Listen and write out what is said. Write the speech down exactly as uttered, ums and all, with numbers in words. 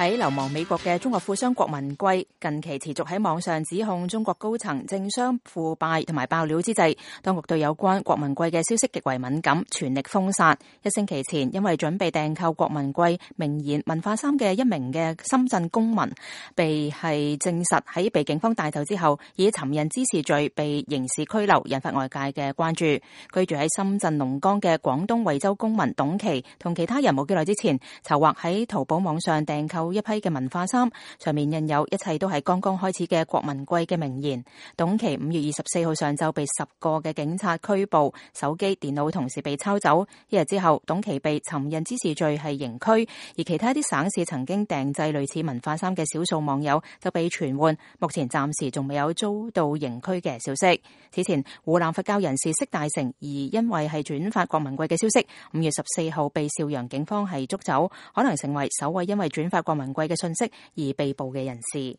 喺流亡美國嘅中國富商郭文貴近期持續喺網上指控中國高層政商腐敗同埋爆料之際，當局對有關郭文貴嘅消息極為敏感，全力封殺。一星期前，因為準備訂購郭文貴名言文化衫嘅一名嘅深圳公民，被係證實喺被警方帶走之後，以尋釁滋事罪被刑事拘留，引發外界嘅關注。居住喺深圳龍崗嘅廣東惠州公民董琦同其他人冇幾耐之前，籌劃喺淘寶網上訂購一批嘅文化衫，上面印有一切都係剛剛開始嘅郭文貴嘅名言。董琦五月二十四號上晝被十個嘅警察拘捕，手機、電腦同時被抄走。一日之後，董琦被尋釁滋事罪係刑拘，而其他一啲省市曾經訂製類似文化衫嘅少數網友就被傳喚，目前暫時仲未有遭到刑拘嘅消息。此前，湖南佛教人士釋大成而因為係轉發郭文貴嘅消息，五月十四號被邵陽警方係捉走，可能成為首位因為轉發郭文貴嘅信息而被捕嘅人士。